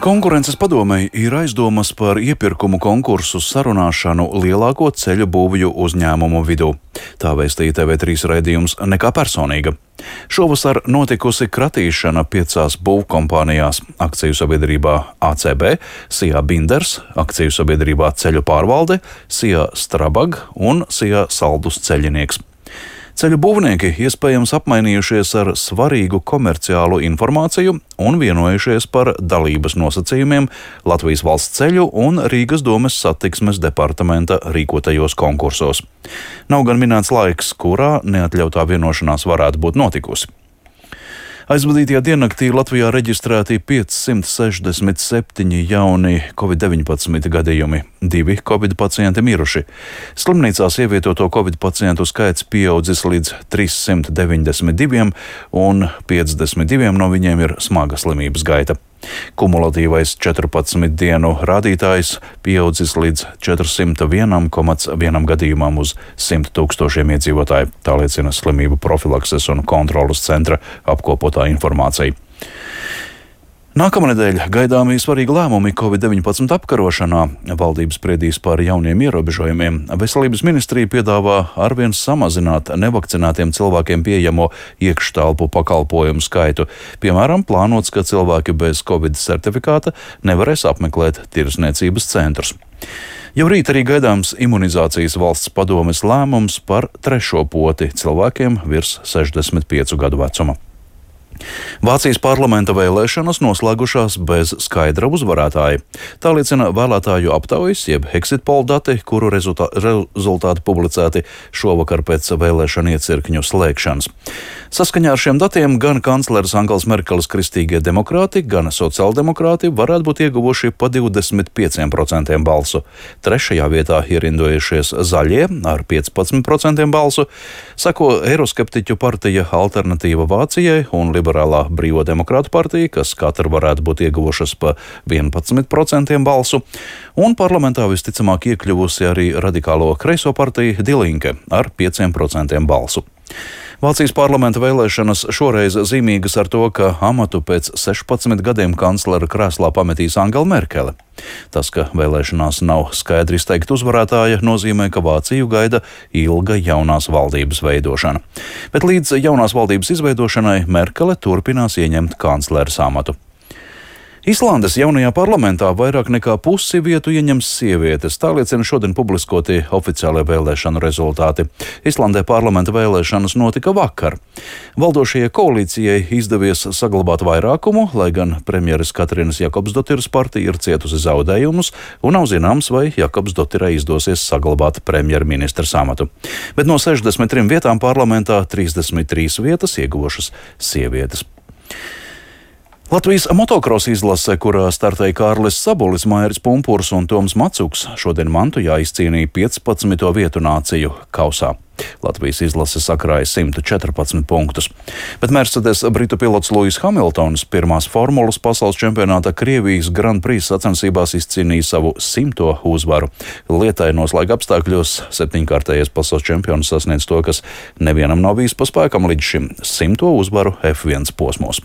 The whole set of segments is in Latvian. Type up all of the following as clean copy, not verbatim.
Konkurences padomei ir aizdomas par iepirkumu konkursu sarunāšanu lielāko ceļu būvju uzņēmumu vidū. Tā vēstīja TV3 raidījums Nekā personīga. Šovasar notikusi kratīšana 5 būvkompānijās - akciju sabiedrībā ACB, SIA Binders, akciju sabiedrībā Ceļu pārvalde, SIA Strabag un SIA Saldus ceļinieks. Ceļu būvnieki iespējams apmainījušies ar svarīgu komerciālu informāciju un vienojušies par dalības nosacījumiem Latvijas valsts ceļu un Rīgas domes satiksmes departamenta rīkotajos konkursos. Nav gan minēts laiks, kurā neatļautā vienošanās varētu būt notikusi. Aizvadītajā diennaktī Latvijā reģistrēti 567 jauni Covid-19 gadījumi, 2 Covid pacienti miruši. Slimnīcās ievietoto Covid pacientu skaits pieaudzis līdz 392 un 52 no viņiem ir smaga slimības gaita. Kumulatīvais 14 dienu rādītājs pieaudzis līdz 401,1 gadījumam uz 100 000 iedzīvotāju, tā liecina Slimību profilakses un kontrolas centra apkopotā informācija. Nākamnedēļ gaidāmi svarīgi lēmumi Covid-19 apkarošanā. Valdība spriedīs par jauniem ierobežojumiem. Veselības ministrija piedāvā arvien samazināt nevakcinētiem cilvēkiem pieejamo iekštelpu pakalpojumu skaitu. Piemēram, plānots, ka cilvēki bez Covid certifikāta nevarēs apmeklēt tirdzniecības centrus. Jau rīt arī gaidāms imunizācijas valsts padomes lēmums par 3. poti cilvēkiem virs 65 gadu vecuma. Vācijas parlamenta vēlēšanas noslēgušās bez skaidra uzvarētāja. Tā liecina vēlētāju aptaujas, jeb exit poll dati, kuru rezultāti publicēti šovakar pēc vēlēšanu iecirkņu slēgšanas. Saskaņā ar šiem datiem gan kancleres Angels Merkeles kristīgie demokrāti, gan sociāldemokrāti varētu būt ieguvuši pa 25% balsu. 3. vietā ierindojušies zaļie ar 15% balsu, seko eiroskeptiķu partija Alternatīva Vācijai un Liberālā Brīvo demokrātu partija, kas katra varētu būt ieguvušas pa 11% balsu, un parlamentā visticamāk iekļuvusi arī radikālo kreiso partija Die Linke ar 5% balsu. Vācijas parlamenta vēlēšanas šoreiz zīmīgas ar to, ka amatu pēc 16 gadiem kanclera krēslā pametīs Angela Merkele. Tas, ka vēlēšanās nav skaidri izteikta uzvarētāja, nozīmē, ka Vāciju gaida ilga jaunās valdības veidošana. Bet līdz jaunās valdības izveidošanai Merkele turpinās ieņemt kancleres amatu. Islandes jaunajā parlamentā vairāk nekā pusi vietu ieņems sievietes, tā liecina šodien publiskotie oficiālie vēlēšanu rezultāti. Islandē parlamenta vēlēšanas notika vakar. Valdošajai koalīcijai izdevies saglabāt vairākumu, lai gan premjeras Katrinas Jakobsdotiras partija ir cietusi zaudējumus, un nav zināms, vai Jakobsdotirai izdosies saglabāt premjerministra amatu. Bet no 63 vietām parlamentā 33 vietas ieguvušas sievietes. Latvijas motokrosa izlase, kurā startēja Kārlis Sabulis, Mairis Pumpurs un Toms Macuks, šodien Mantujā izcīnīja 15. vietu nāciju kausā. Latvijas izlase sakrāja 114 punktus. Bet Mercedes britu pilots Lewis Hamiltons pirmās formulas pasaules čempionāta Krievijas Grand Prix sacensībās izcīnīja savu 100. uzvaru. Lietainos laika apstākļos 7-kārtējais pasaules čempions sasniedz to, kas nevienam nav bijis pa spēkam līdz šim 100. uzvaru F1 posmos.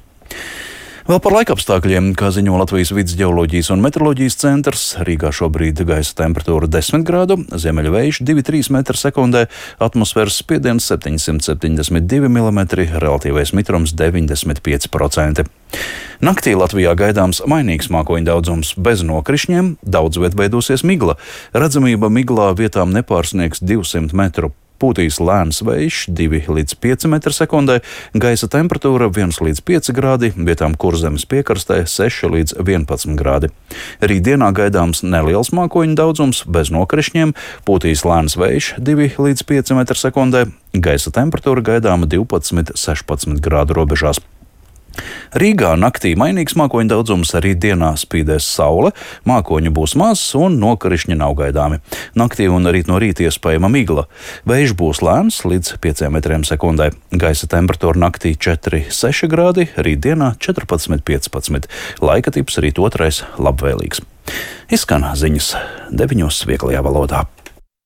Vēl par laikapstākļiem, kā ziņo Latvijas vides ģeoloģijas un meteoroloģijas centrs, Rīgā šobrīd gaisa temperatūra 10 grādu, ziemeļvējš 2,3 m/sekundē, atmosfēras spiediens 772 mm, relatīvais mitrums 95%. Naktī Latvijā gaidāms mainīgs mākoņu daudzums bez nokrišņiem, daudz viet veidosies migla. Redzamība miglā vietām nepārsniegs 200 metru. Pūtīs lēns vējš 2 līdz 5 m/sekundē, gaisa temperatūra 1 līdz 5 grādi, vietām Kurzemes piekrastē 6 līdz 11 grādi. Rītdienā gaidāms neliels mākoņu daudzums bez nokrišņiem, pūtīs lēns vējš 2 līdz 5 m/sekundē, gaisa temperatūra gaidāma 12–16 grādu robežās. Rīgā naktī mainīgs mākoņu daudzums, arī dienā spīdēs saule, mākoņu būs maz un nokrišņi nav gaidāmi. Naktī un rīt no rīta iespējama migla. Vējš būs lēns līdz 5 m/sekundē. Gaisa temperatūra naktī 4–6 grādi, rīt dienā 14–15. Laika tips rīt otrais labvēlīgs. Izskan ziņas 9 vieglajā valodā.